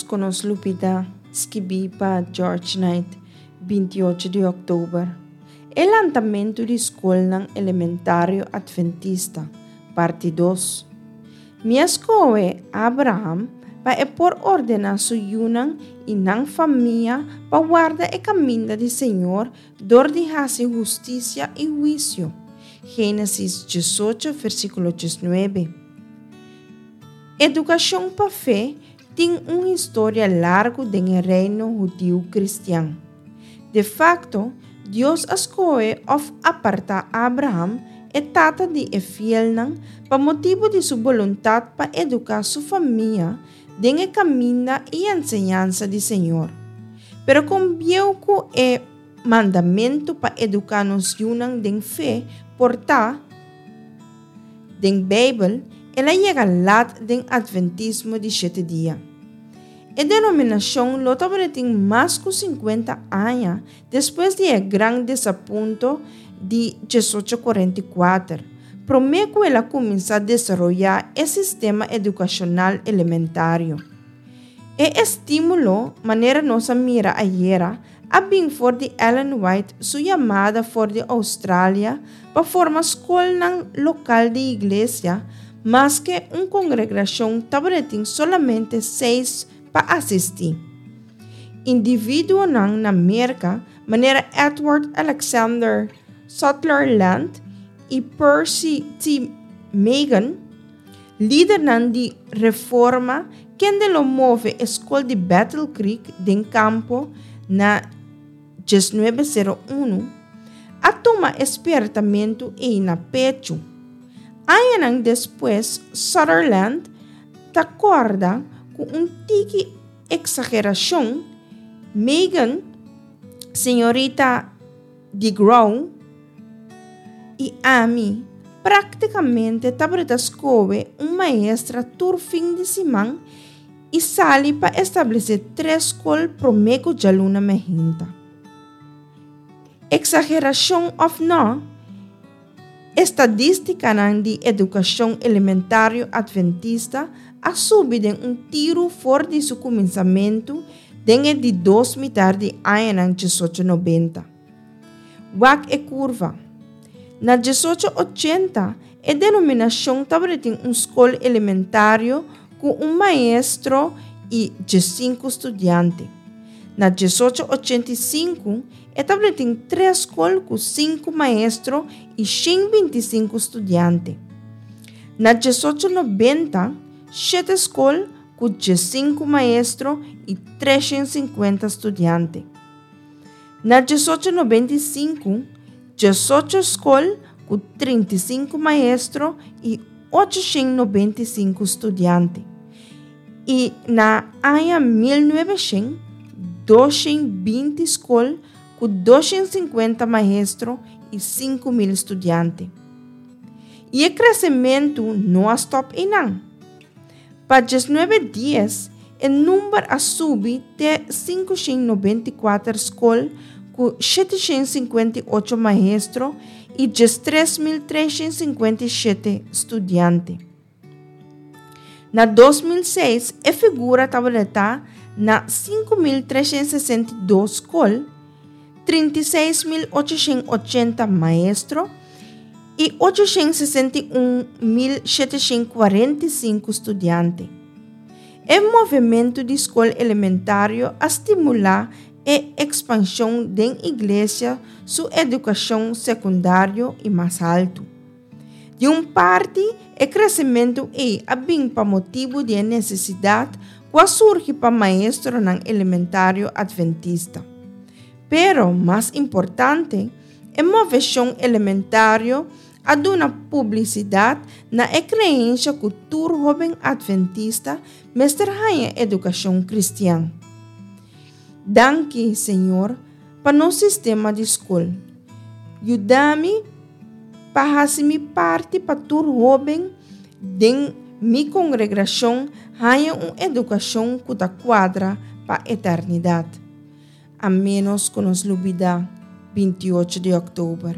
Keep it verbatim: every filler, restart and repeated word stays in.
ku nos lubidá, skibí pa George Knight, binti ocho di òktober. E lantamentu di skolnan elementario atventista, parti dos. Mi a skohe Abraham pa e por ordená su yunan i nan famia pa warda e kaminda di Señor dor di hasi hustisia i huisio. Génesis diesocho, versíkulo diesnuebe. Edukashon pa fe tin un historia largu den e reino hudiu kristian. De fakto, Dios a skohe òf apartá Abraham, e tata di e fielnan, pa motibu di su boluntat pa eduká su famia den e kaminda i enseñansa di Señor. Pero kon bieu ku e mandamentu pa eduká nos yunan den fe por ta, den Beibel, el a yega lat den Atventismo di Shete Dia. E denominashon lo tabatin mas ku sinkuenta aña despues di e gran desapunto di diesocho kuarenta i kuater, promé ku el a kuminsá desaroyá e sistema edukashonal elementario. E estímulo, manera nos a mira ayera, a bin for di Ellen White su yamada for di Australia pa forma skolnan lokal di iglesia, maske un kongregashon tabatin solamente seis pa asistí. Individuonan na Merka, manera Edward Alexander Sutherland i Percy T. Magan, lidernan di Reforma kende lo move e skol di Battle Creek den kampo na diesnuebe sero unu, a tuma e spiertamentu ei na pechu. Añanan despues Sutherland ta kòrda ku un tiki eksagerashon, Magan, señorita DeGrow i ami práktikamente tabata skohe un maestra tur fin di siman i sali pa establesé tres skol promé ku djaluna mainta. Eksagerashon òf nò, estadístikanan di edukashon elementario atventista a subi den un tiru for di su kuminsamentu den e di dos mitar di añanan diesocho nobenta. Wak e kurva. Na diesocho ochenta e denominashon tabatin un skol elementario ku un maestro i diesinku studiante. Na diesocho ochenta i sinku e tabatin tres skol ku sinku maestro i shen binti sinku studiante. Na diesocho nobenta, shete skol ku diesinku maestro i treshen sinkuenta studiante. Na diesocho nobenta i sinku, diesocho skol ku trinta i sinku maestro i ochoshen nobenta i sinku studiante. I na aña mil nuebeshen, doshen binti skol ku doshen sinkuenta maestro i sinku mil studiante. I e kresementu no a stòp einan. Pa diesnuebe dies, e number a subi te sinkushen nobenta i kuater skol ku sheteshen sinkuenta i ocho maestro i diestres mil treshen sinkuenta i shete studiante. Na dos mil seis, e figura tabata na sinku mil treshen sesenta i dos skol, trinta i seis mil ochoshen ochenta maestro i ochoshen sesenta i un mil sheteshen kuarenta i sinku studiante. E movementu di skol elementario a stimulá e ekspanshon den iglesia su edukashon sekundario i mas haltu. Di un parti, e kresementu ei a bin pa motibu di e nesesidat ku a surgi pa maestronan elementario atventista. Pero, mas importante, e moveshon elementario a duna publisidat na e kreensha ku tur hóben atventista mester haña edukashon kristian. Danki, Señor, pa nos sistema di skol. Yuda mi pa hasi mi parti pa tur hóben den mi kongregashon haña un edukashon ku ta kuadra pa eternidat. A ménos ku nos lubidá, binti ocho di òktober.